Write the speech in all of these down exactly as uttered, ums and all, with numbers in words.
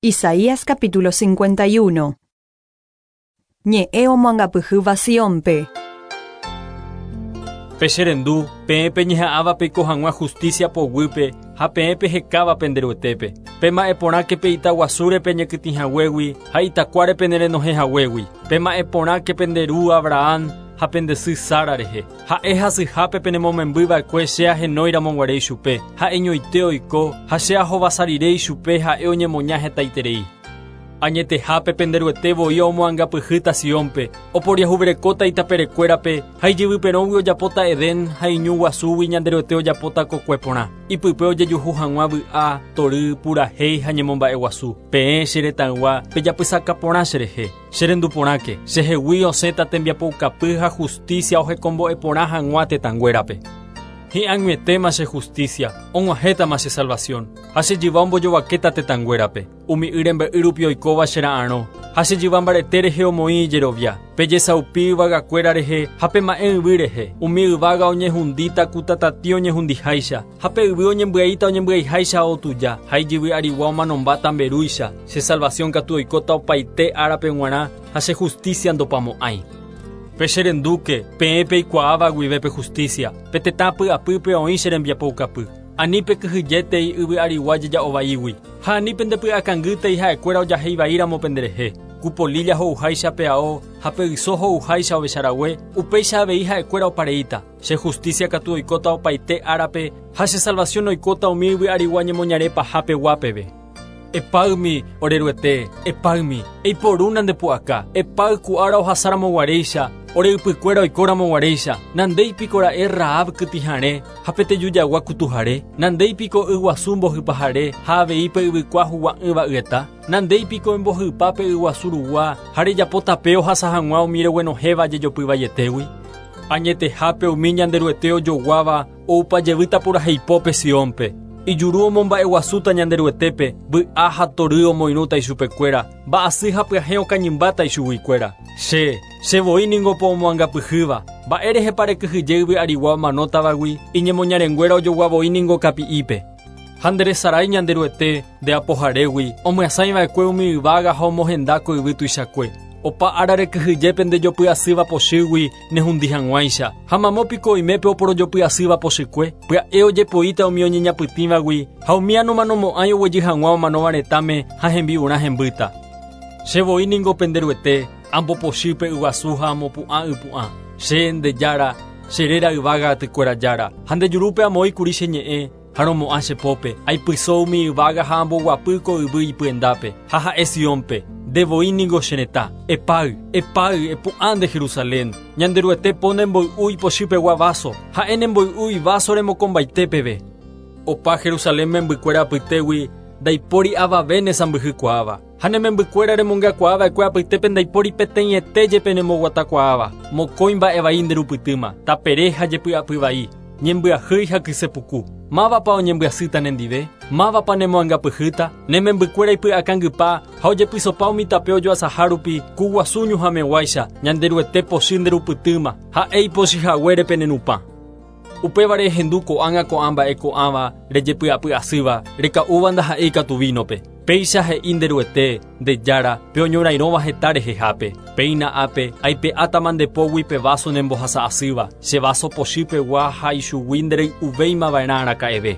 Isaías capítulo cincuenta y uno. Ñe'ẽ omoangapyhýva Siónpe. Pecherendu, peẽ peñeha'ãva peiko hag̃ua justicia poguýpe ha peẽ pehekáva penderuetépe. Pema'ẽporãke pe itaguasúre peñekytĩhaguégui ha itakuáre penerenohẽhaguégui. Pema'ẽporãke pende ru Abraham ha pende sy Sara rehe. Ha'e hasyhápe penemomembyva'ekue che ahenóiramoguare ichupe. Ha'eñoite oiko ha che ahovasarire ichupe ha'e oñemoña hetaiterei. Añetehápe penderuete voi omoangapyhýta Siónpe, oporiahuverekóta itaperekuérape ha ijyvyperõgui ojapóta Edén ha iñu guasúgui Ñanderuete ojapóta kokue porã. Ipype ojejuhu hag̃ua vy'a, tory, purahéi ha ñemomba'eguasu. Peẽ che retãygua pejapysaka porã cherehe. Cherenduporãke, chehegui osẽta tembiapoukapy ha justicia ohekombo'e porã hag̃ua tetãnguérape. Hi'ag̃uietéma che justicia, og̃uahẽtama che salvación, ha che jyva ombojovakéta tetãnguérape. Umi y rembe'y rupi oikóva che ra'arõ, ha che jyva mbarete rehe omoĩ ijerovia. Pejesaupi yvagakuéra rehe ha pema'ẽ yvy rehe. Umi yvága oñehundíta ku tatatĩ oñehundiháicha, ha pe yvy oñembyaíta oñembyaiháicha otuja, ha ijyvy arigua omanombáta mberúicha. Che salvación katu oikóta opaite árape g̃uarã ha che justicia ndopamo'ãi. Pecherendúke, peẽ peikuaáva guive pe justicia, pe tetã py'apýpe oĩ che rembiapoukapy. Ani pekyhyjétei yvy arigua jeja'ovaígui, ha ani pendepy'akangýtei ha'ekuéra ojaheivaíramo penderehe. Ku polilla ho'uháicha pe ao ha pe yso ho'uháicha ovecharague, upéicha avei ha'ekuéra opareíta. Che justicia katu oikóta opaite árape ha che salvación oikóta umi yvy arigua ñemoñare pahápe guápeve. Epáymi oreruete, epáymi, eiporúna ndepu'aka, epáy ku ára ohasaramoguaréicha, ore ypykuéra oikóramoguaréicha, nandéipiko ra'e Rahab kytĩhare ha pe tejujagua kutuhare, nandéipiko yguasu mbohypahare ha avei pe yvykua hugua'ỹva yeta, nandéipiko embohypa pe yguasu rugua ha rejapo tape ohasa hag̃ua umi reguenohẽva jejopyvaietégui. Añetehápe umi Ñanderuete ojoguáva oupajevýta puraheipópe Siónpe. Ijuru omomba'eguasúta Ñanderuetépe, vy'a ha tory omoirũta ichupekuéra, mba'asy ha pyahẽ okañymbáta ichuguikuéra. Che, che voi ningo po omoangapyhýva, mba'érehepa rekyhyje yvy arigua omanótavagui, iñemoñarenguéra ojogua voi ningo kapi'ípe. Ha nderesarái Ñanderuete nde apoharégui, omyasãiva'ekue umi yvága ha omohenda ko yvy tuichakue. Opa ára rekyhyje ndejopy'asýva pochýgui nehundi hag̃uáicha. Ha mamópiko oimépe oporojopy'asýva pochykue, pya'e ojepoíta umi oñeñapytĩvagui ha umi anomanomo'ãi oguejy hag̃ua omanóva retãme ha hembi'urã hembýta. Che voi ningo penderuete, ambopochýpe yguasu ha amopu'ã ypu'ã. Che nde jára, che réra yvága atykuéra jára. Ha ndejurúpe amoĩkuri che ñe'ẽ, ha romo'ã che pópe. Aipyso umi yvága ha amboguapy ko yvy ipyendápe, ha ha'e Siónpe. Nde voi ningo che retã. Epáy, epáy, epu'ã nde Jerusalén. Ñanderuete po nemboy'u ipochýpegua vaso, ha'e nemboy'u ivaso remokombaitépeve. Opa Jerusalén membykuéra apytégui ndaipóri avave nesãmbyhykuaáva. Ha ne membykuéra remongakuaava'ekue apytépe ndaipóri peteĩete jepe nemboguatakuaáva. Mokõi mba'evai nderupytýma, tapere ha jepy'apyvai, ñembyahýi ha kysepuku. Mávapa oñembyasýta nendive? Mávapa nemoangapyhýta? Ne membykuéra ipy'akangypa ha ojepysopa umi tape ojoasaha rupi ku guasu ñuhãmeguáicha, Ñanderuete pochy nderupytýma, ha'e ipochyhaguére penenupã. Upévare ehendu ko'ág̃a ko'ã mba'e ko'ãva rejepy'apy'asýva, reka'úva ndaha'éi katu vínope. Péicha he'i nderuete, nde jára, pe oñorairõva heta rehehápe. Péina ápe, aipe'átama ndepógui pe vaso nembohasa'asýva, che vaso pochýpegua ha ichugui nderey'uvéimava'erã araka'eve.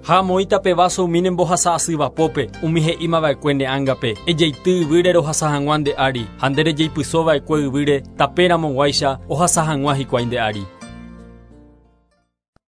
Ha amoĩta pe vaso umi nembohasa'asývapópe, umi he'ímava'ekue ne ángape, ejeity yvýre rohasa hag̃ua nde ári, ha nde rejeipysóva'ekue yvýre tapéramoguáicha ohasa hag̃ua hikuái nde ári.